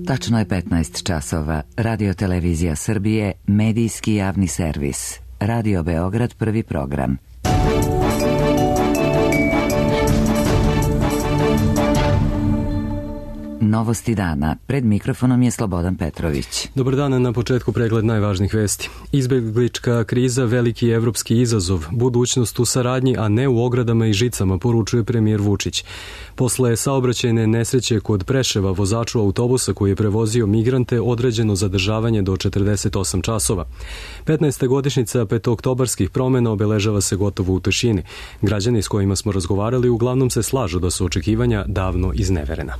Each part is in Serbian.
Tačno je 15 časova. Radio Televizija Srbije, medijski javni servis. Radio Beograd, prvi program. Novosti dana. Pred mikrofonom je Slobodan Petrović. Dobar dan, na početku pregled najvažnijih vesti. Izbeglička kriza, veliki evropski izazov, budućnost u saradnji, a ne u ogradama i žicama, poručuje premijer Vučić. Posle saobraćajne nesreće kod Preševa, vozaču autobusa koji je prevozio migrante, određeno zadržavanje do 48 časova. 15. godišnjica petooktobarskih promena obeležava se gotovo u tišini. Građani s kojima smo razgovarali uglavnom se slažu da su očekivanja davno izneverena.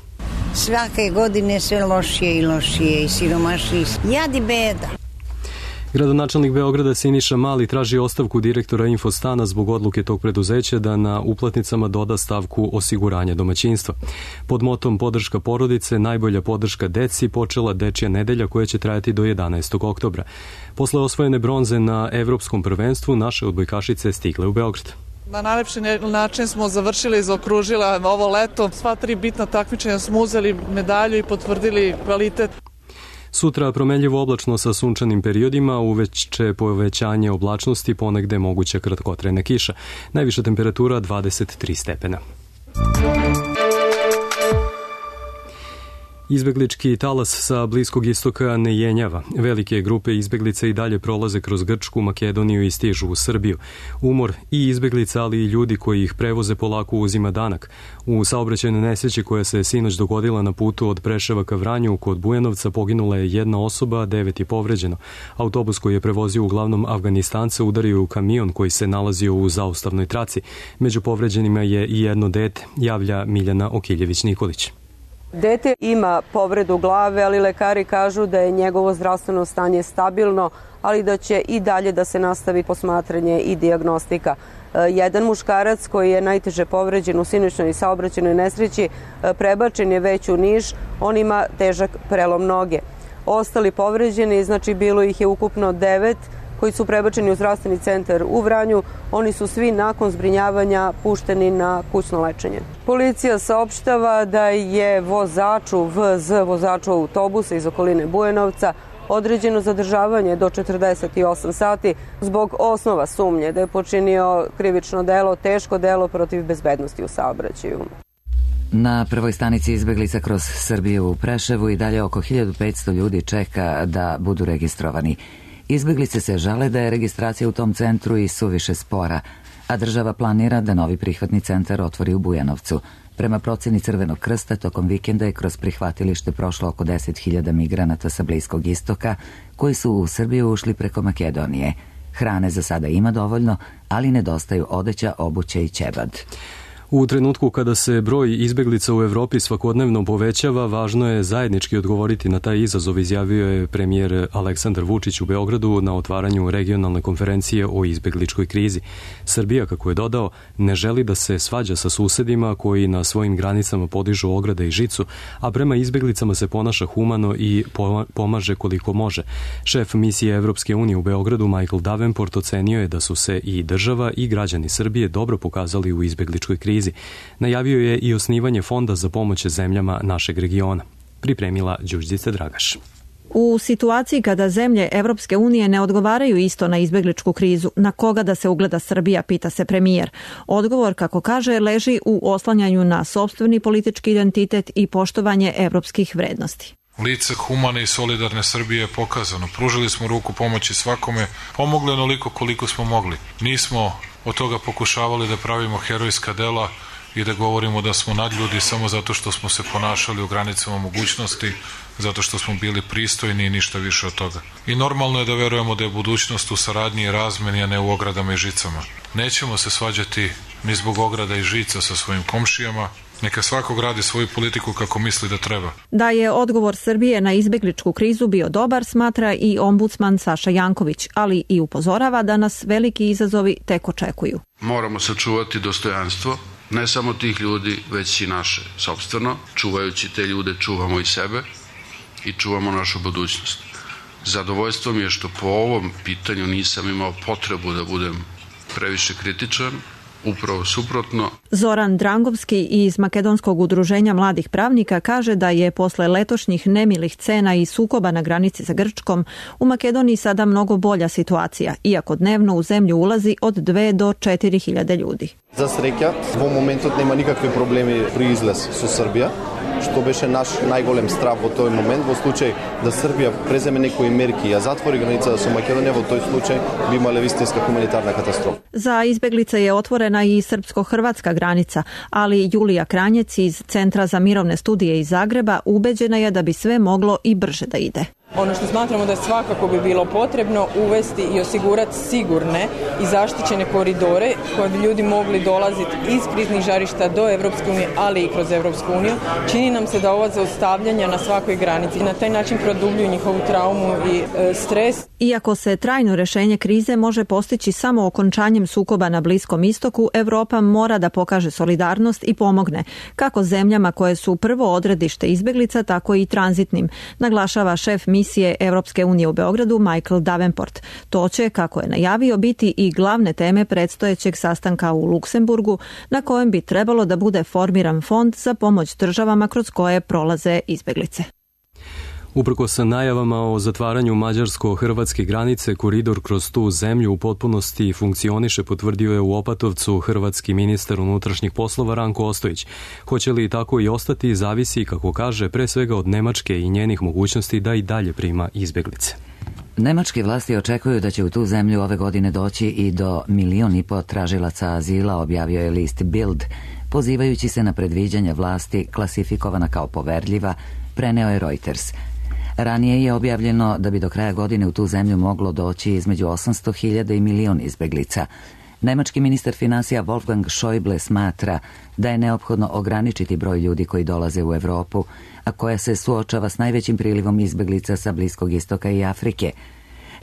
Svake godine sve lošije i lošije i siromašniji. Jad i beda. Gradonačelnik Beograda Siniša Mali traži ostavku direktora Infostana zbog odluke tog preduzeća da na uplatnicama doda stavku osiguranja domaćinstva. Pod motom podrška porodice, najbolja podrška deci počela Dečija nedelja koja će trajati do 11. oktobra. Posle osvojene bronze na Evropskom prvenstvu, naše odbojkašice stigle u Beograd. Na najlepši način smo završili, zaokružila ovo leto. Sva 3 bitna takmičenja smo uzeli medalju i potvrdili kvalitet. Sutra promenljivo oblačno sa sunčanim periodima, uveče povećanje oblačnosti, ponegde moguća kratkotrajna kiša. Najviša temperatura 23 stepena. Izbeglički talas sa Bliskog istoka ne jenjava. Velike grupe izbeglica i dalje prolaze kroz Grčku, Makedoniju i stižu u Srbiju. Umor i izbeglica, ali i ljudi koji ih prevoze polako uzima danak. U saobraćajnoj nesreći koja se sinoć dogodila na putu od Preševa ka Vranju kod Bujanovca poginula je 1 osoba, 9 je povređeno. Autobus koji je prevozio uglavnom Afganistance udario u kamion koji se nalazio u zaustavnoj traci. Među povređenima je i jedno dete, javlja Miljana Okiljević-Nikolić. Dete ima povredu glave, ali lekari kažu da je njegovo zdravstveno stanje stabilno, ali da će i dalje da se nastavi posmatranje i dijagnostika. Jedan muškarac koji je najteže povređen u sinoćnoj saobraćajnoj nesreći prebačen je već u Niš, on ima težak prelom noge. Ostali povređeni, znači bilo ih je ukupno 9, koji su prebačeni u zdravstveni centar u Vranju, oni su svi nakon zbrinjavanja pušteni na kućno lečenje. Policija saopštava da je vozaču autobusa iz okoline Bujanovca određeno zadržavanje do 48 sati zbog osnova sumnje da je počinio krivično delo, teško delo protiv bezbednosti u saobraćaju. Na prvoj stanici izbeglica kroz Srbiju u Preševu i dalje oko 1500 ljudi čeka da budu registrovani. Izbeglice se žale da je registracija u tom centru i suviše spora, a država planira da novi prihvatni centar otvori u Bujanovcu. Prema proceni Crvenog krsta, tokom vikenda je kroz prihvatilište prošlo oko 10.000 migranata sa Bliskog istoka, koji su u Srbiju ušli preko Makedonije. Hrane za sada ima dovoljno, ali nedostaju odeća, obuće i ćebad. U trenutku kada se broj izbeglica u Evropi svakodnevno povećava, važno je zajednički odgovoriti na taj izazov, izjavio je premijer Aleksandar Vučić u Beogradu na otvaranju regionalne konferencije o izbegličkoj krizi. Srbija, kako je dodao, ne želi da se svađa sa susedima koji na svojim granicama podižu ograde i žicu, a prema izbeglicama se ponaša humano i pomaže koliko može. Šef misije Evropske unije u Beogradu, Michael Davenport, ocenio je da su se i država i građani Srbije dobro pokazali u izbegličkoj krizi. Najavio je i osnivanje fonda za pomoć zemljama našeg regiona. Pripremila Đurđica Dragaš. U situaciji kada zemlje Evropske unije ne odgovaraju isto na izbegličku krizu, na koga da se ugleda Srbija, pita se premijer. Odgovor, kako kaže, leži u oslanjanju na sopstveni politički identitet i poštovanje evropskih vrednosti. Lice humane i solidarne Srbije je pokazano. Pružili smo ruku pomoći svakome, pomogli onoliko koliko smo mogli. Nismo od toga pokušavali da pravimo herojska dela i da govorimo da smo nadljudi samo zato što smo se ponašali u granicama mogućnosti, zato što smo bili pristojni i ništa više od toga. I normalno je da verujemo da je budućnost u saradnji i razmeni, a ne u ogradama i žicama. Nećemo se svađati ni zbog ograda i žica sa svojim komšijama. Neka svako gradi svoju politiku kako misli da treba. Da je odgovor Srbije na izbegličku krizu bio dobar, smatra i ombudsman Saša Janković, ali i upozorava da nas veliki izazovi tek očekuju. Moramo sačuvati dostojanstvo, ne samo tih ljudi, već i naše sopstveno. Čuvajući te ljude, čuvamo i sebe i čuvamo našu budućnost. Zadovoljstvo mi je što po ovom pitanju nisam imao potrebu da budem previše kritičan, Upravo suprotno. Zoran Drangovski iz Makedonskog udruženja mladih pravnika kaže da je posle letošnjih nemilih scena i sukoba na granici sa Grčkom u Makedoniji sada mnogo bolja situacija, iako dnevno u zemlju ulazi od 2 do 4.000 ljudi. За среќа, во моментот нема никакви проблеми при излез со Србија, што беше наш најголем страв во тој момент. Во случај да Србија преземе некои мерки, а затвори границата со Македонија, во тој случај би имале вистинска хуманитарна катастрофа. Za izbeglice je otvorena i srpsko-hrvatska granica, ali Julija Kranjec iz Centra za mirovne studije iz Zagreba ubeđena je da bi sve moglo i brže da ide. Ono što smatramo da svakako bi bilo potrebno uvesti i osigurati sigurne i zaštićene koridore koje bi ljudi mogli dolaziti iz kriznih žarišta do Evropske unije, ali i kroz Evropsku uniju. Čini nam se da ova zaustavljanja na svakoj granici na taj način produbljuju njihovu traumu i stres. Iako se trajno rešenje krize može postići samo okončanjem sukoba na Bliskom istoku, Evropa mora da pokaže solidarnost i pomogne, kako zemljama koje su prvo odredište izbeglica, tako i tranzitnim, naglašava šef misije Evropske unije u Beogradu Michael Davenport. To će, kako je najavio, biti i glavne teme predstojećeg sastanka u Luksemburgu, na kojem bi trebalo da bude formiran fond za pomoć državama kroz koje prolaze izbeglice. Uprkos najavama o zatvaranju mađarsko-hrvatske granice, koridor kroz tu zemlju u potpunosti funkcioniše, potvrdio je u Opatovcu hrvatski ministar unutrašnjih poslova Ranko Ostojić. Hoće li tako i ostati, zavisi, kako kaže, pre svega od Nemačke i njenih mogućnosti da i dalje prima izbeglice. Nemačke vlasti očekuju da će u tu zemlju ove godine doći i do 1,5 miliona tražilaca azila, objavio je list Bild, pozivajući se na predviđanja vlasti klasifikovana kao poverljiva, preneo je Reuters. Ranije je objavljeno da bi do kraja godine u tu zemlju moglo doći između 800.000 i 1 milion izbeglica. Nemački ministar finansija Wolfgang Schäuble smatra da je neophodno ograničiti broj ljudi koji dolaze u Evropu, a koja se suočava s najvećim prilivom izbeglica sa Bliskog istoka i Afrike.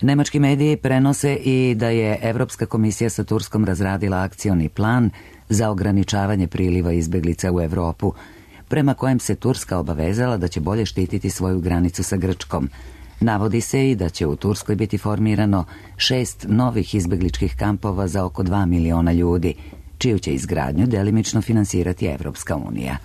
Nemački mediji prenose i da je Evropska komisija sa Turskom razradila akcioni plan za ograničavanje priliva izbeglica u Evropu, prema kojem se Turska obavezala da će bolje štititi svoju granicu sa Grčkom. Navodi se i da će u Turskoj biti formirano 6 novih izbegličkih kampova za oko 2 miliona ljudi, čiju će izgradnju delimično finansirati Evropska unija.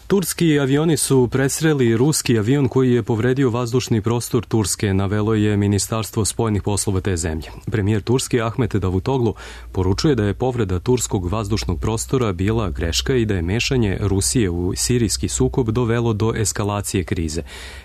Turski avioni su presreli ruski avion koji je povredio vazdušni prostor Turske, navelo je Ministarstvo spoljnih poslova te zemlje. Premijer Turske Ahmet Davutoglu poručuje da je povreda turskog vazdušnog prostora bila greška i da je mešanje Rusije u sirijski sukob dovelo do eskalacije krize.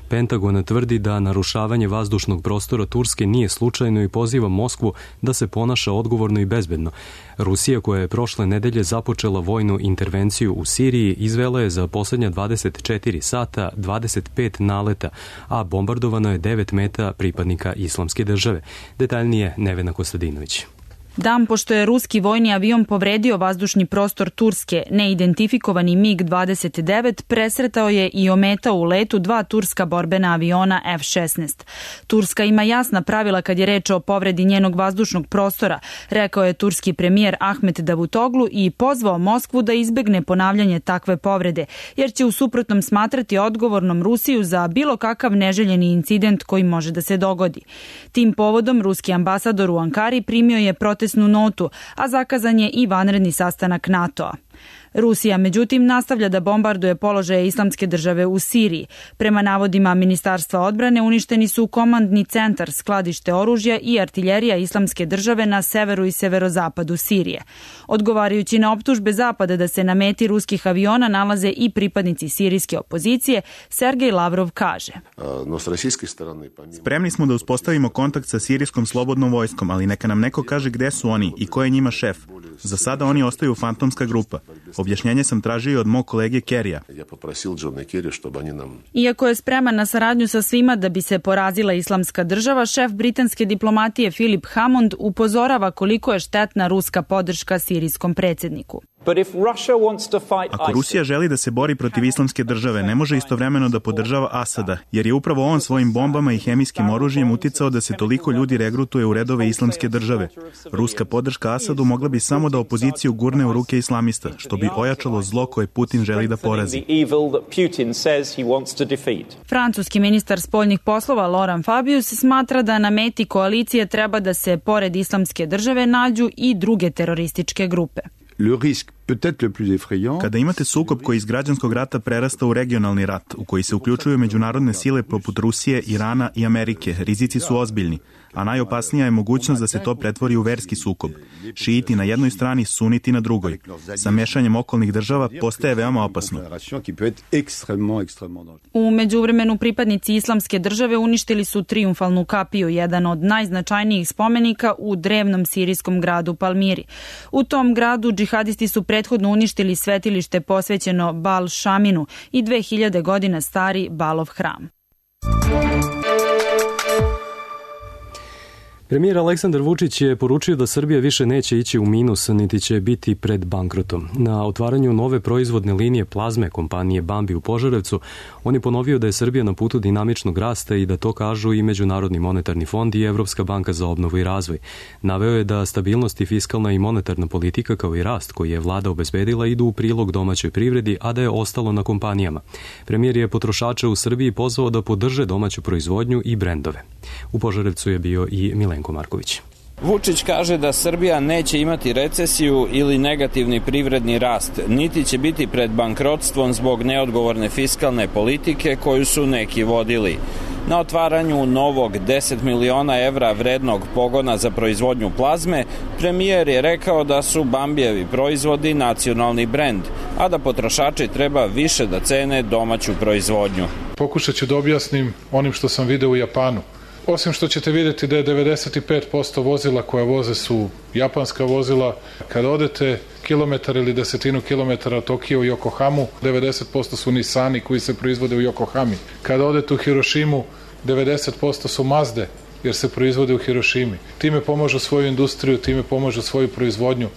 Pentagon tvrdi da narušavanje vazdušnog prostora Turske nije slučajno i poziva Moskvu da se ponaša odgovorno i bezbedno. Rusija, koja je prošle nedelje započela vojnu intervenciju u Siriji, izvela je za posljednja 24 sata 25 naleta, a bombardovano je 9 meta pripadnika Islamske države. Detaljnije Nevena Kostadinović. Dan pošto je ruski vojni avion povredio vazdušni prostor Turske, neidentifikovani MiG-29 presretao je i ometao u letu 2 turska borbena aviona F-16. Turska ima jasna pravila kad je reč o povredi njenog vazdušnog prostora, rekao je turski premijer Ahmet Davutoglu i pozvao Moskvu da izbegne ponavljanje takve povrede, jer će u suprotnom smatrati odgovornom Rusiju za bilo kakav neželjeni incident koji može da se dogodi. Tim povodom ruski ambasador u Ankari primio je protestnu notu, a zakazan je i vanredni sastanak NATO-a. Rusija, međutim, nastavlja da bombarduje položaje Islamske države u Siriji. Prema navodima Ministarstva odbrane uništeni su komandni centar, skladište oružja i artiljerija Islamske države na severu i severozapadu Sirije. Odgovarajući na optužbe Zapada da se na meti ruskih aviona nalaze i pripadnici sirijske opozicije, Sergej Lavrov kaže: Spremni smo da uspostavimo kontakt sa sirijskom slobodnom vojskom, ali neka nam neko kaže gde su oni i ko je njima šef. Za sada oni ostaju fantomska grupa. Objašnjenje sam tražio od mog kolege Kerija. Iako je spreman na saradnju sa svima da bi se porazila Islamska država, šef britanske diplomatije Philip Hammond upozorava koliko je štetna ruska podrška sirijskom predsjedniku. Ako Rusija želi da se bori protiv Islamske države, ne može istovremeno da podržava Asada, jer je upravo on svojim bombama i hemijskim oružjem uticao da se toliko ljudi regrutuje u redove Islamske države. Ruska podrška Asadu mogla bi samo da opoziciju gurne u ruke islamista, što bi ojačalo zlo koje Putin želi da porazi. Francuski ministar spoljnih poslova Laurent Fabius smatra da na meti koalicije treba da se pored Islamske države nađu i druge terorističke grupe. Kada imate sukob koji iz građanskog rata prerasta u regionalni rat, u koji se uključuju međunarodne sile poput Rusije, Irana i Amerike, rizici su ozbiljni, a najopasnija je mogućnost da se to pretvori u verski sukob. Šiiti na jednoj strani, suniti na drugoj. Sa mešanjem okolnih država postaje veoma opasno. U međuvremenu pripadnici Islamske države uništili su Trijumfalnu kapiju, jedan od najznačajnijih spomenika u drevnom sirijskom gradu Palmiri. U tom gradu džihadisti su prethodno uništili svetilište posvećeno Bal Šaminu i 2000 godina stari Balov hram. Premijer Aleksandar Vučić je poručio da Srbija više neće ići u minus, niti će biti pred bankrotom. Na otvaranju nove proizvodne linije plazme kompanije Bambi u Požarevcu, on je ponovio da je Srbija na putu dinamičnog rasta i da to kažu i Međunarodni monetarni fond i Evropska banka za obnovu i razvoj. Naveo je da stabilnost i fiskalna i monetarna politika kao i rast koji je vlada obezbedila idu u prilog domaćoj privredi, a da je ostalo na kompanijama. Premijer je potrošače u Srbiji pozvao da podrže domaću proizvodnju i brendove. U Požarevcu je bio i Milenko Marković. Vučić kaže da Srbija neće imati recesiju ili negativni privredni rast, niti će biti pred bankrotstvom zbog neodgovorne fiskalne politike koju su neki vodili. Na otvaranju novog 10 miliona evra vrednog pogona za proizvodnju plazme, premijer je rekao da su Bambijevi proizvodi nacionalni brend, a da potrošači treba više da cene domaću proizvodnju. Pokušat ću da objasnim onim što sam video u Japanu. Osim što ćete vidjeti da je 95% vozila koja voze su japanska vozila, kada odete kilometar ili desetinu kilometara od Tokio i Yokohamu, 90% su Nissani koji se proizvode u Yokohami. Kada odete u Hirošimu, 90% su Mazde, jer se proizvode u Hirošimi. Time pomažu svoju industriju, time pomažu svoju proizvodnju.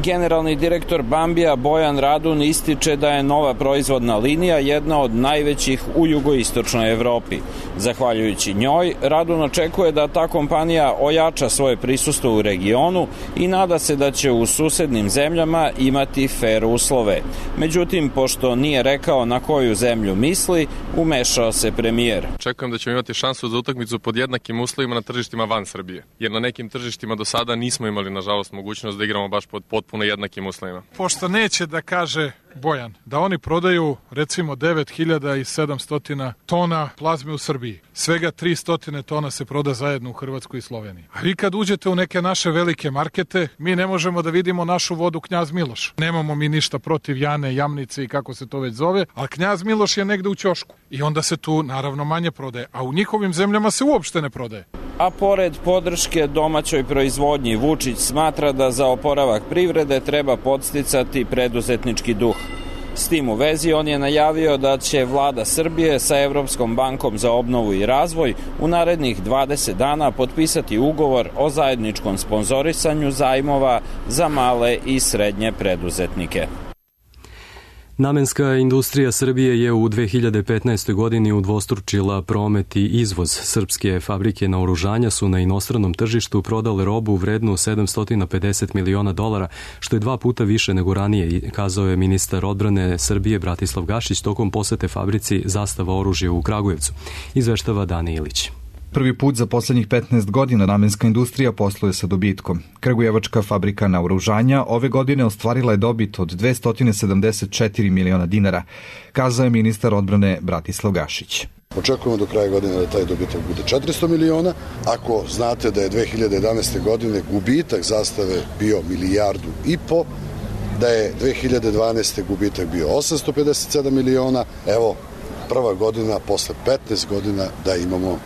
Generalni direktor Bambija Bojan Radun ističe da je nova proizvodna linija jedna od najvećih u jugoistočnoj Evropi. Zahvaljujući njoj, Radun očekuje da ta kompanija ojača svoje prisustvo u regionu i nada se da će u susednim zemljama imati fer uslove. Međutim, pošto nije rekao na koju zemlju misli, umešao se premijer. Očekujem da ćemo imati šansu za utakmicu pod jednakim uslovima na tržištima van Srbije, jer na nekim tržištima do sada nismo imali, nažalost, mogućnost da igramo baš pod potpuno jednakim uslovima. Pošto neće da kaže Bojan da oni prodaju recimo 9700 tona plazme u Srbiji, svega 300 tona se proda zajedno u Hrvatskoj i Sloveniji. A vi kad uđete u neke naše velike markete, mi ne možemo da vidimo našu vodu Knjaz Miloš. Nemamo mi ništa protiv Jane, Jamnice i kako se to već zove, ali Knjaz Miloš je negde u ćošku i onda se tu naravno manje prodaje, a u njihovim zemljama se uopšte ne prodaje. A pored podrške domaćoj proizvodnji, Vučić smatra da za oporavak privrede treba podsticati preduzetnički duh. S tim u vezi on je najavio da će vlada Srbije sa Evropskom bankom za obnovu i razvoj u narednih 20 dana potpisati ugovor o zajedničkom sponzorisanju zajmova za male i srednje preduzetnike. Namenska industrija Srbije je u 2015. godini udvostručila promet i izvoz. Srpske fabrike naoružanja su na inostranom tržištu prodale robu vrednu $750 miliona, što je 2 puta više nego ranije, kazao je ministar odbrane Srbije Bratislav Gašić tokom posete fabrici Zastava oružja u Kragujevcu. Izveštava Dani Ilić. Prvi put za poslednjih 15 godina namenska industrija posluje sa dobitkom. Kragujevačka fabrika naoružanja ove godine ostvarila je dobit od $274 miliona, kazao je ministar odbrane Bratislav Gašić. Očekujemo do kraja godine da taj dobitak bude 400 miliona. Ako znate da je 2011. godine gubitak Zastave bio $1,5 milijardu, da je 2012. gubitak bio 857 miliona, evo prva godina posle 15 godina da imamo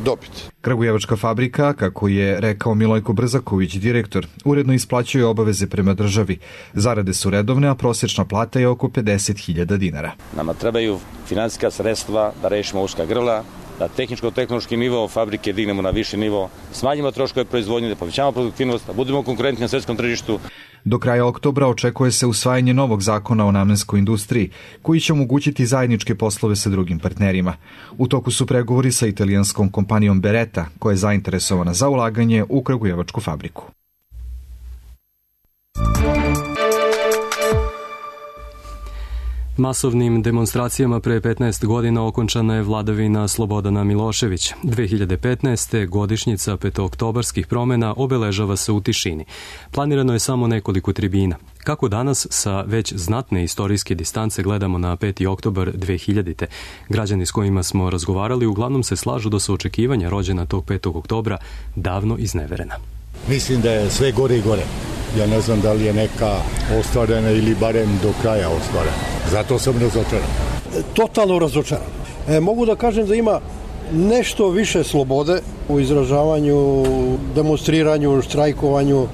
dobit. Kragujevačka fabrika, kako je rekao Milojko Brzaković, direktor, uredno isplaćuje obaveze prema državi. Zarade su redovne, a prosječna plata je oko $50.000. Nama trebaju finansijska sredstva da rešimo uska grla, da tehničko-tehnološki nivo fabrike dignemo na viši nivo, smanjimo troškove proizvodnje, da povećamo produktivnost, da budemo konkurentni na svetskom tržištu. Do kraja oktobra očekuje se usvajanje novog zakona o namenskoj industriji, koji će omogućiti zajedničke poslove sa drugim partnerima. U toku su pregovori sa italijanskom kompanijom Beretta, koja je zainteresovana za ulaganje u kragujevačku fabriku. Masovnim demonstracijama pre 15 godina okončana je vladavina Slobodana Miloševića. 2015. godišnjica petooktobarskih promena obeležava se u tišini. Planirano je samo nekoliko tribina. Kako danas sa već znatne istorijske distance gledamo na 5. oktobar 2000. Građani s kojima smo razgovarali uglavnom se slažu da su očekivanja rođena tog 5. oktobra davno izneverena. Mislim da je sve gore i gore. Ja ne znam da li je neka ostvarena ili barem do kraja ostvarena. Zato sam razočaran. Totalno razočaran. Mogu da kažem da ima nešto više slobode u izražavanju, demonstriranju, štrajkovanju.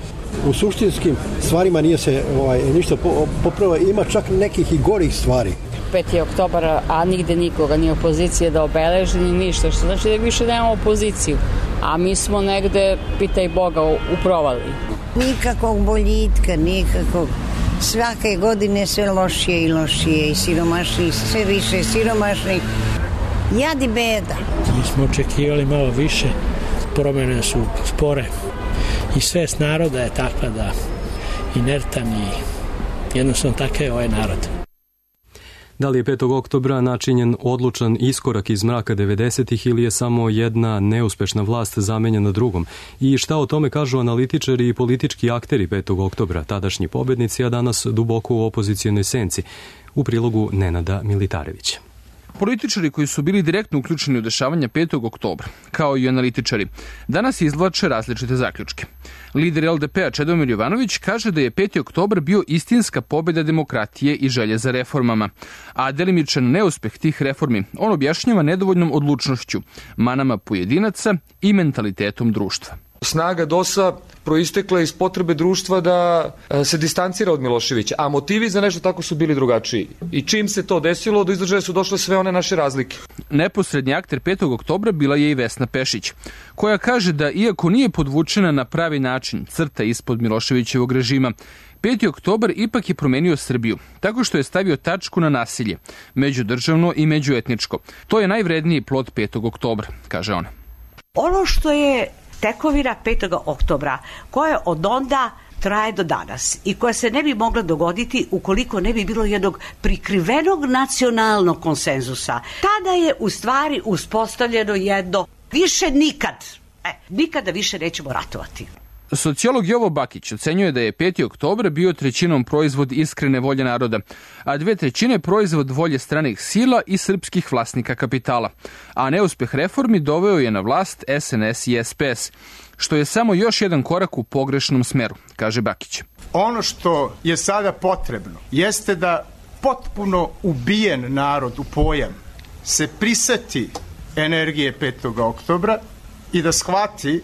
U suštinskim stvarima nije se ništa popravilo. Ima čak nekih i gorih stvari. 5. oktobara, a nigde nikoga, ni opozicije da obeleži, ni ništa. Što znači da više nemamo opoziciju. A mi smo negde, pitaj Boga, u provaliji. Nikakvog boljitka, nikakvog. Svake godine sve lošije i lošije i siromašni, sve više siromašni. Jad i beda. Mi smo očekivali malo više, promjene su spore i svest naroda je takva da inertan i jednostavno takav je ovaj narod. Da li je 5. oktobra načinjen odlučan iskorak iz mraka 90-ih ili je samo jedna neuspešna vlast zamenjena drugom? I šta o tome kažu analitičari i politički akteri 5. oktobra, tadašnji pobednici, a danas duboko u opozicijonoj senci? U prilogu Nenada Militarevića. Političari koji su bili direktno uključeni u dešavanja 5. oktobra, kao i analitičari, danas izvlače različite zaključke. Lider LDP-a Čedomir Jovanović kaže da je 5. oktobar bio istinska pobjeda demokratije i želje za reformama, a delimičan neuspeh tih reformi on objašnjava nedovoljnom odlučnošću, manama pojedinaca i mentalitetom društva. Snaga DOS-a proistekla iz potrebe društva da se distancira od Miloševića, a motivi za nešto tako su bili drugačiji. I čim se to desilo, do izražaja su došle sve one naše razlike. Neposrednji akter 5. oktobra bila je i Vesna Pešić, koja kaže da iako nije podvučena na pravi način crta ispod Miloševićevog režima, 5. oktobar ipak je promenio Srbiju, tako što je stavio tačku na nasilje, međudržavno i međuetničko. To je najvredniji plod 5. oktobra, kaže ona. Ono što je tekovina 5. oktobra, koja od onda traje do danas i koja se ne bi mogla dogoditi ukoliko ne bi bilo jednog prikrivenog nacionalnog konsenzusa. Tada je u stvari uspostavljeno jedno više nikada više nećemo ratovati. Sociolog Jovo Bakić ocenjuje da je 5. oktobar bio trećinom proizvod iskrene volje naroda, a 2/3 proizvod volje stranih sila i srpskih vlasnika kapitala. A neuspeh reformi doveo je na vlast SNS i SPS, što je samo još jedan korak u pogrešnom smeru, kaže Bakić. Ono što je sada potrebno jeste da potpuno ubijen narod u pojam se priseti energije 5. oktobra i da shvati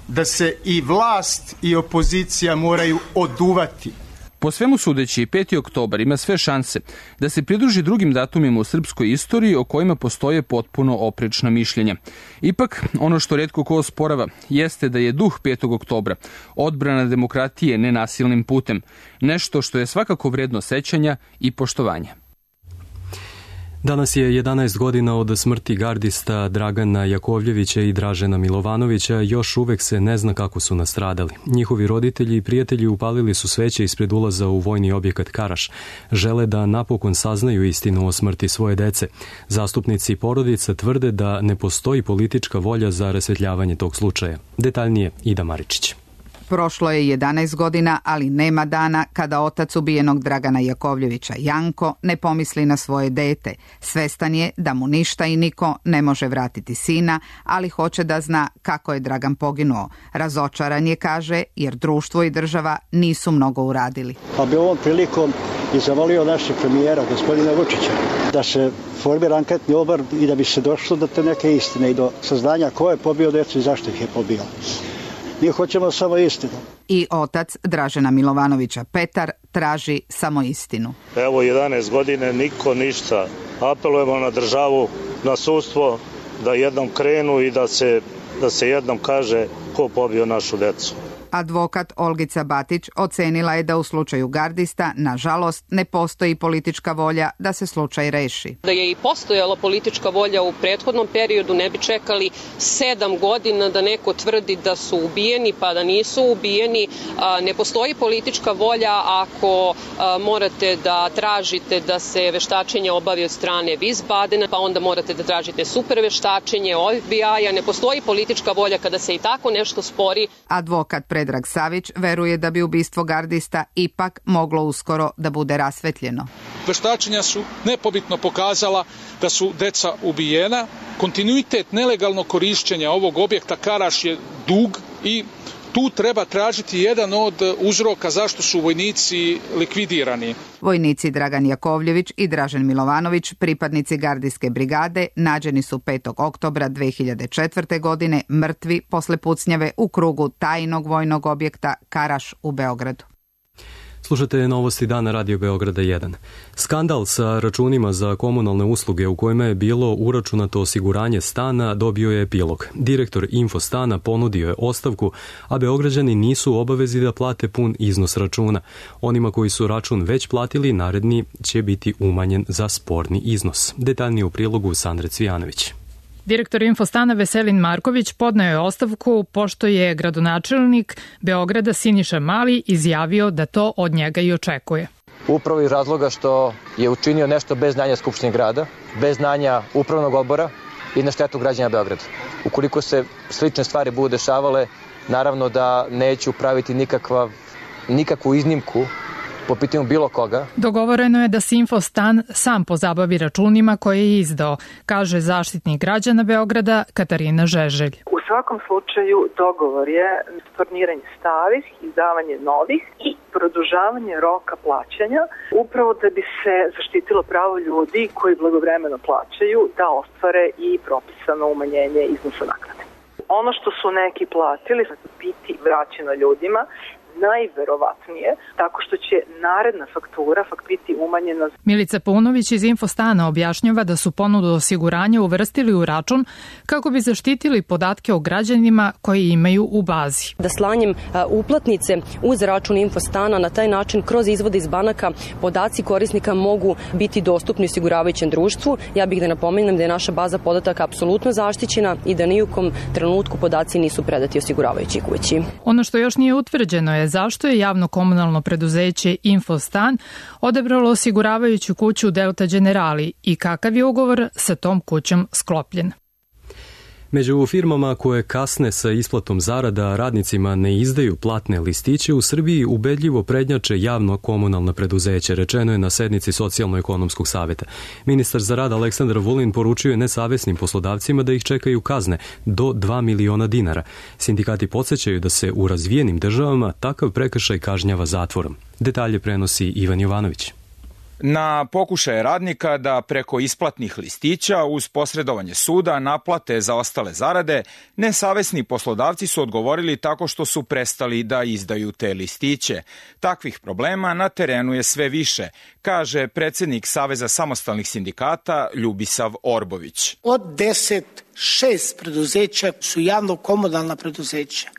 da se i vlast i opozicija moraju oduvati. Po svemu sudeći, 5. oktobar ima sve šanse da se pridruži drugim datumima u srpskoj istoriji o kojima postoje potpuno oprečna mišljenja. Ipak, ono što retko ko osporava jeste da je duh 5. oktobra odbrana demokratije nenasilnim putem, nešto što je svakako vredno sećanja i poštovanja. Danas je 11 godina od smrti gardista Dragana Jakovljevića i Dražena Milovanovića, još uvek se ne zna kako su nastradali. Njihovi roditelji i prijatelji upalili su sveće ispred ulaza u vojni objekat Karaš. Žele da napokon saznaju istinu o smrti svoje dece. Zastupnici porodica tvrde da ne postoji politička volja za rasvetljavanje tog slučaja. Detaljnije Ida Maričić. Prošlo je 11 godina, ali nema dana kada otac ubijenog Dragana Jakovljevića, Janko, ne pomisli na svoje dete. Svestan je da mu ništa i niko ne može vratiti sina, ali hoće da zna kako je Dragan poginuo. Razočaran je, kaže, jer društvo i država nisu mnogo uradili. Pa bi ovom prilikom i zavolio našeg premijera, gospodina Vučića, da se formira anketni odbor i da bi se došlo do te neke istine i do saznanja ko je pobio decu i zašto ih je pobio. Mi hoćemo samo istinu. I otac Dražena Milovanovića, Petar, traži samo istinu. Evo 11 godine, niko ništa. Apelujemo na državu, na sudstvo, da jednom krenu i da se jednom kaže ko pobio našu decu. Advokat Olgica Batić ocenila je da u slučaju gardista, nažalost, ne postoji politička volja da se slučaj reši. Da je i postojala politička volja u prethodnom periodu, ne bi čekali 7 godina da neko tvrdi da su ubijeni pa da nisu ubijeni. Ne postoji politička volja ako morate da tražite da se veštačenje obavi od strane Wiesbadena, pa onda morate da tražite super veštačenje FBI-a. Ne postoji politička volja kada se i tako nešto spori. Advokat Predrag Savić veruje da bi ubistvo gardista ipak moglo uskoro da bude rasvetljeno. Veštačenja su nepobitno pokazala da su deca ubijena. Kontinuitet nelegalnog korišćenja ovog objekta Karaš je dug i tu treba tražiti jedan od uzroka zašto su vojnici likvidirani. Vojnici Dragan Jakovljević i Dražen Milovanović, pripadnici gardijske brigade, nađeni su 5. oktobra 2004. godine mrtvi posle pucnjave u krugu tajnog vojnog objekta Karaš u Beogradu. Slušate novosti dana Radio Beograda 1. Skandal sa računima za komunalne usluge u kojima je bilo uračunato osiguranje stana dobio je epilog. Direktor Infostana ponudio je ostavku, a Beograđani nisu u obavezi da plate pun iznos računa. Onima koji su račun već platili, naredni će biti umanjen za sporni iznos. Detaljnije u prilogu Sandre Cvijanović. Direktor Infostana Veselin Marković podneo je ostavku pošto je gradonačelnik Beograda Siniša Mali izjavio da to od njega i očekuje. Upravo iz razloga što je učinio nešto bez znanja Skupštine grada, bez znanja upravnog odbora i na štetu građana Beograda. Ukoliko se slične stvari budu dešavale, naravno da neću praviti nikakvu iznimku po pitanju bilo koga. Dogovoreno je da se Infostan sam pozabavi računima koje je izdao, kaže zaštitnik građana Beograda Katarina Žeželj. U svakom slučaju dogovor je storniranje starih, izdavanje novih i produžavanje roka plaćanja, upravo da bi se zaštitilo pravo ljudi koji blagovremeno plaćaju da ostvare i propisano umanjenje iznosa naknade. Ono što su neki platili biti vraćeno ljudima, najverovatnije, tako što će naredna faktura biti umanjena. Milica Paunović iz Infostana objašnjava da su ponudu osiguranja uvrstili u račun kako bi zaštitili podatke o građanima koji imaju u bazi. Da slanjem uplatnice uz račun Infostana, na taj način kroz izvode iz banaka podaci korisnika mogu biti dostupni osiguravajućem društvu. Ja bih da napomenem da je naša baza podataka apsolutno zaštićena i da ni u kom trenutku podaci nisu predati osiguravajućoj kući. Ono što još nije utvrđeno je zašto je javno komunalno preduzeće Infostan odabralo osiguravajuću kuću Delta Generali i kakav je ugovor sa tom kućom sklopljen. Među firmama koje kasne sa isplatom zarada radnicima ne izdaju platne listiće u Srbiji ubedljivo prednjače javno komunalna preduzeće, rečeno je na sednici Socijalno-ekonomskog saveta. Ministar za rad Aleksandar Vulin poručio je nesavesnim poslodavcima da ih čekaju kazne do 2 miliona dinara. Sindikati podsjećaju da se u razvijenim državama takav prekršaj kažnjava zatvorom. Detalje prenosi Ivan Jovanović. Na pokušaje radnika da preko isplatnih listića uz posredovanje suda naplate zaostale zarade, nesavesni poslodavci su odgovorili tako što su prestali da izdaju te listiće. Takvih problema na terenu je sve više, kaže predsednik Saveza samostalnih sindikata Ljubisav Orbović. Od 6 preduzeća su javno-komunalna preduzeća.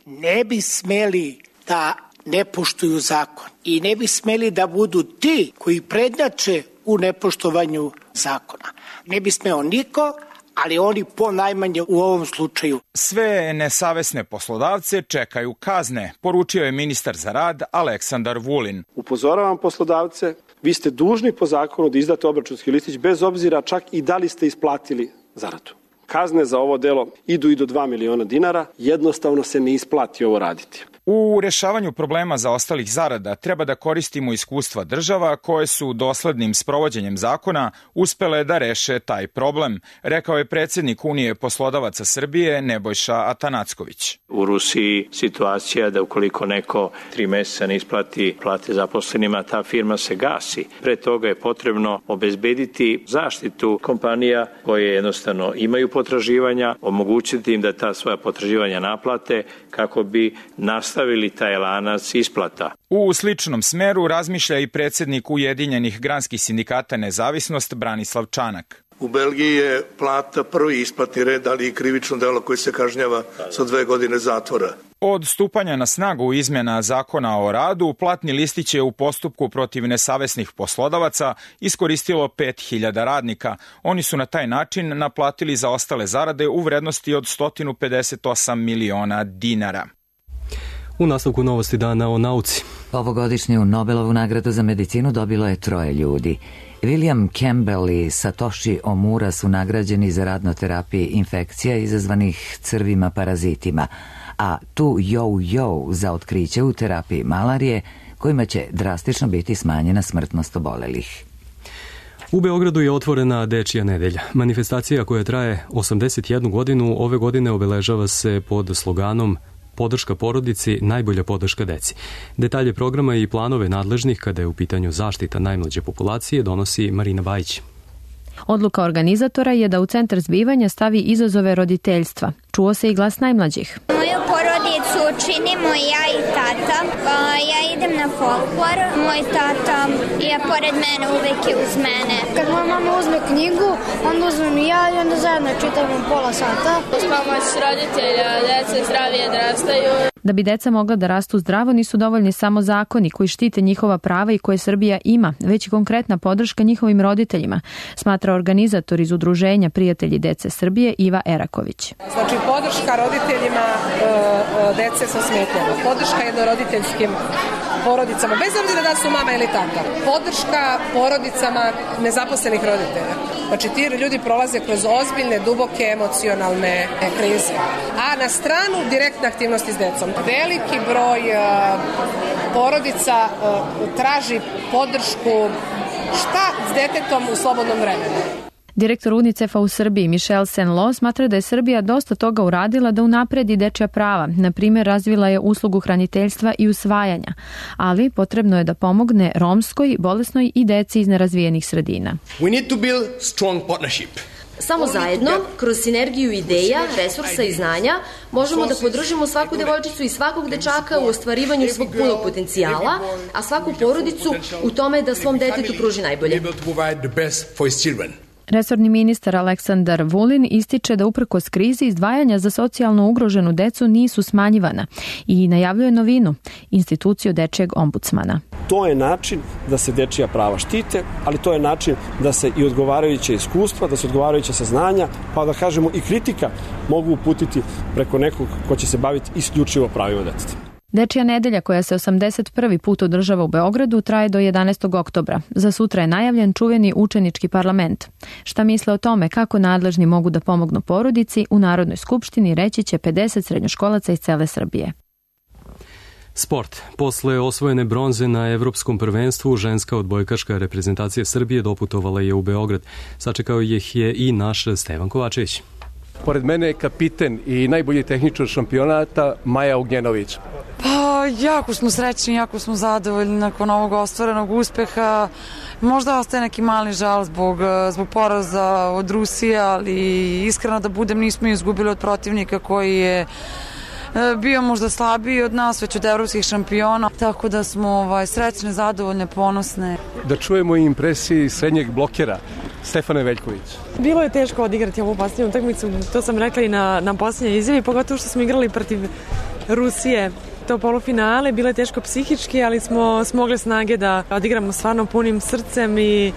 Ne bi smeli da ne poštuju zakon i ne bi smeli da budu ti koji prednjače u nepoštovanju zakona. Ne bi smeo niko, ali oni ponajmanje u ovom slučaju. Sve nesavesne poslodavce čekaju kazne, poručio je ministar za rad Aleksandar Vulin. Upozoravam poslodavce, vi ste dužni po zakonu da izdate obračunski listić bez obzira čak i da li ste isplatili zaradu. Kazne za ovo delo idu i do 2 miliona dinara, jednostavno se ne isplati ovo raditi. U rešavanju problema zaostalih zarada treba da koristimo iskustva država koje su doslednim sprovođenjem zakona uspele da reše taj problem, rekao je predsednik Unije poslodavaca Srbije Nebojša Atanacković. U Rusiji situacija da ukoliko neko 3 meseca ne isplati plate zaposlenima, ta firma se gasi. Pre toga je potrebno obezbediti zaštitu kompanija koje jednostavno imaju potraživanja, omogućiti im da ta svoja potraživanja naplate kako bi nastavili taj lanac isplata. U sličnom smeru razmišlja i predsednik Ujedinjenih granskih sindikata Nezavisnost Branislav Čanak. U Belgiji je plata prvi isplatni red, ali i krivično delo koje se kažnjava sa 2 godine zatvora. Od stupanja na snagu izmjena zakona o radu, platni listić je u postupku protiv nesavesnih poslodavaca iskoristilo 5000 radnika. Oni su na taj način naplatili zaostale zarade u vrednosti od 158 miliona dinara. U nastavku novosti dana o nauci. Ovogodišnju Nobelovu nagradu za medicinu dobilo je 3 ljudi. William Campbell i Satoshi Omura su nagrađeni za rad na terapiji infekcija izazvanih crvima parazitima, a tu yo za otkriće u terapiji malarije, kojima će drastično biti smanjena smrtnost obolelih. U Beogradu je otvorena Dečija nedelja. Manifestacija koja traje 81 godinu ove godine obeležava se pod sloganom Podrška porodici, najbolja podrška deci. Detalje programa i planove nadležnih kada je u pitanju zaštita najmlađe populacije donosi Marina Bajić. Odluka organizatora je da u centar zbivanja stavi izazove roditeljstva. Čuo se i glas najmlađih. Moju porodicu činimo ja i tata. Ja idem na folklor. Moj tata je pored mene, uvek je uz mene. Kad moja mama uzme knjigu, onda uzmem i ja i onda zajedno čitamo pola sata. Uz pomoć roditelja, deca zdravije odrastaju. Da bi deca mogla da rastu zdravo, nisu dovoljni samo zakoni koji štite njihova prava i koje Srbija ima, već i konkretna podrška njihovim roditeljima, smatra organizator iz Udruženja Prijatelji dece Srbije Iva Eraković. Znači, podrška roditeljima dece sa smetnjama, podrška jednoroditeljskim porodicama, bez obzira da su mama ili tata, podrška porodicama nezaposlenih roditelja. Znači, ti ljudi prolaze kroz ozbiljne, duboke, emocionalne krize. A na stranu direktne aktivnosti s decom. Veliki broj porodica traži podršku šta s detetom u slobodnom vremenu. Direktor UNICEF-a u Srbiji Michel Senlo smatra da je Srbija dosta toga uradila da unapredi dečja prava. Na primjer, razvila je uslugu hraniteljstva i usvajanja, ali potrebno je da pomogne romskoj, bolesnoj i deci iz nerazvijenih sredina. We need to build strong partnership. Samo zajedno, kroz sinergiju ideja, resursa i znanja, možemo da podržimo svaku devojčicu i svakog dečaka u ostvarivanju svog punog potencijala, a svaku porodicu u tome da svom detetu pruži najbolje. Resorni ministar Aleksandar Vulin ističe da uprkos krizi izdvajanja za socijalno ugroženu decu nisu smanjivana i najavljuje novinu, instituciju dečjeg ombudsmana. To je način da se dečija prava štite, ali to je način da se i odgovarajuće iskustva, da se odgovarajuće saznanja, pa da kažemo i kritika mogu uputiti preko nekog ko će se baviti isključivo pravima deteta. Dečija nedelja koja se 81. put održava u Beogradu traje do 11. oktobra. Za sutra je najavljen čuveni učenički parlament. Šta misle o tome kako nadležni mogu da pomognu porodici, u Narodnoj skupštini reći će 50 srednjoškolaca iz cele Srbije. Sport. Posle osvojene bronze na Evropskom prvenstvu, ženska odbojkaška reprezentacija Srbije doputovala je u Beograd. Sačekao ih je i naš Stevan Kovačević. Pored mene je kapiten i najbolji tehničar šampionata Maja Ognjenović. Pa, jako smo srećni, jako smo zadovoljni nakon ovog ostvarenog uspeha. Možda ostaje neki mali žal zbog poraza od Rusije, ali iskreno da budem, nismo izgubili od protivnika koji je bio možda slabiji od nas, već od evropskih šampiona, tako da smo srećne, zadovoljne, ponosne. Da čujemo i impresiji srednjeg blokera Stefane Veljković. Bilo je teško odigrati ovu posljednju utakmicu, to sam rekla i na posljednjoj izjavi, pogotovo što smo igrali protiv Rusije. To polufinale, bilo je teško psihički, ali smo smogli snage da odigramo stvarno punim srcem i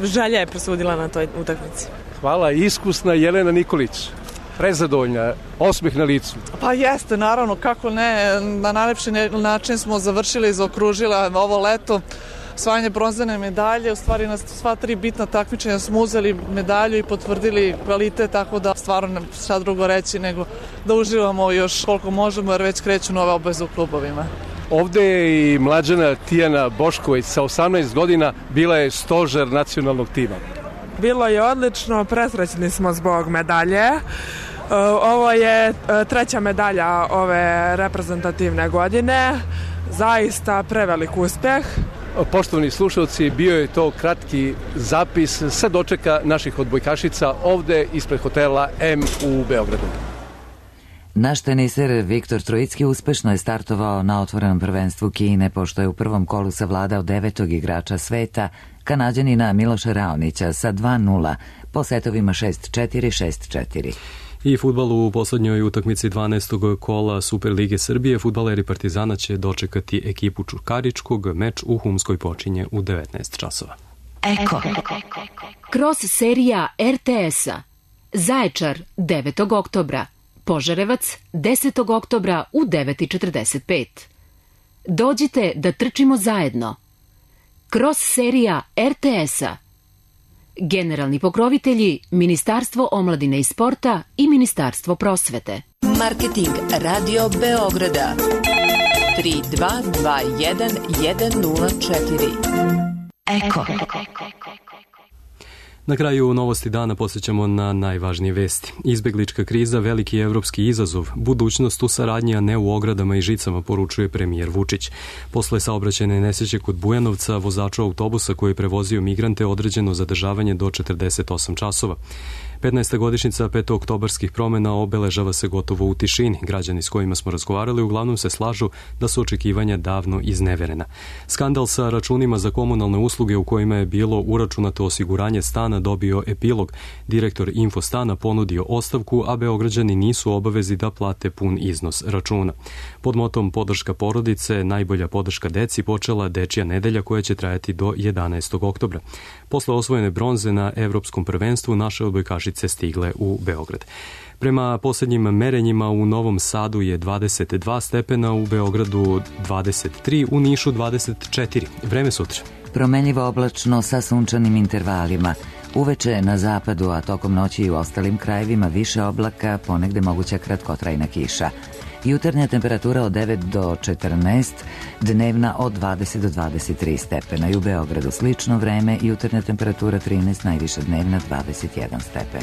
želja je presudila na toj utakmici. Hvala, iskusna Jelena Nikolić. Prezadovoljna, osmeh na licu. Pa jeste, naravno, kako ne, na najlepši način smo završili i zaokružila ovo leto. Osvajanje bronzane medalje, u stvari na sva tri bitna takmičenja smo uzeli medalju i potvrdili kvalitet, tako da stvarno ne šta drugo reći nego da uživamo još koliko možemo jer već kreću nove obaveze u klubovima. Ovde je i mlađana Tijana Bošković sa 18 godina, bila je stožer nacionalnog tima. Bilo je odlično, presrećni smo zbog medalje. Ovo je treća medalja ove reprezentativne godine, zaista prevelik uspeh. Poštovani slušalci, bio je to kratki zapis sa dočeka naših odbojkašica ovde ispred hotela M u Beogradu. Naš teniser Viktor Trojicki uspešno je startovao na otvorenom prvenstvu Kine, pošto je u prvom kolu savladao 9. igrača sveta, Kanađanina Miloša Raonića sa 2-0 po setovima 6-4, 6-4. I fudbal u poslednjoj utakmici 12. kola Superlige Srbije. Fudbaleri Partizana će dočekati ekipu Čukaričkog. Meč u Humskoj počinje u 19 časova. Eko. Kroz serija RTS-a. Zaječar 9. oktobra. Požarevac 10. oktobra u 9:45. Dođite da trčimo zajedno. Kroz serija RTS-a. Generalni pokrovitelji Ministarstvo omladine i sporta i Ministarstvo prosvete. Marketing Radio Beograda 3221 104. Eko. Na kraju novosti dana posjećamo na najvažnije vesti. Izbeglička kriza, veliki evropski izazov, budućnost u saradnji, a ne u ogradama i žicama, poručuje premijer Vučić. Posle saobraćajne nesreće kod Bujanovca, vozaču autobusa koji je prevozio migrante određeno zadržavanje do 48 časova. 15. godišnjica petooktobarskih promjena obeležava se gotovo u tišini. Građani s kojima smo razgovarali uglavnom se slažu da su očekivanja davno izneverena. Skandal sa računima za komunalne usluge u kojima je bilo uračunato osiguranje stana dobio epilog. Direktor Infostana ponudio ostavku, a Beograđani nisu u obavezi da plate pun iznos računa. Pod motom podrška porodice, najbolja podrška deci počela Dečija nedelja koja će trajati do 11. oktobra. Posle osvojene bronze na Evropskom prvenstvu naše odbojkašice stigle u Beograd. Prema posljednjim merenjima u Novom Sadu je 22 stepena, u Beogradu 23, u Nišu 24. Vreme sutra. Promenljivo oblačno sa sunčanim intervalima. Uveče na zapadu, a tokom noći i u ostalim krajevima više oblaka, ponegde moguća kratkotrajna kiša. Jutarnja temperatura od 9 do 14, dnevna od 20 do 23 stepena. I u Beogradu slično vreme, jutarnja temperatura 13, najviša dnevna 21 stepen.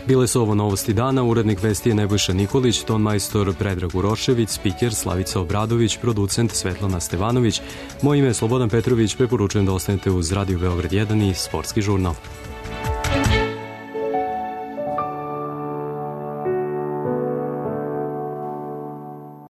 Bile su ovo novosti dana, urednik vesti je Nebojša Nikolić, tonmajstor Predrag Urošević, spiker Slavica Obradović, producent Svetlana Stevanović. Moje ime je Slobodan Petrović, preporučujem da ostanete uz Radio Beograd 1 i Sportski žurnal.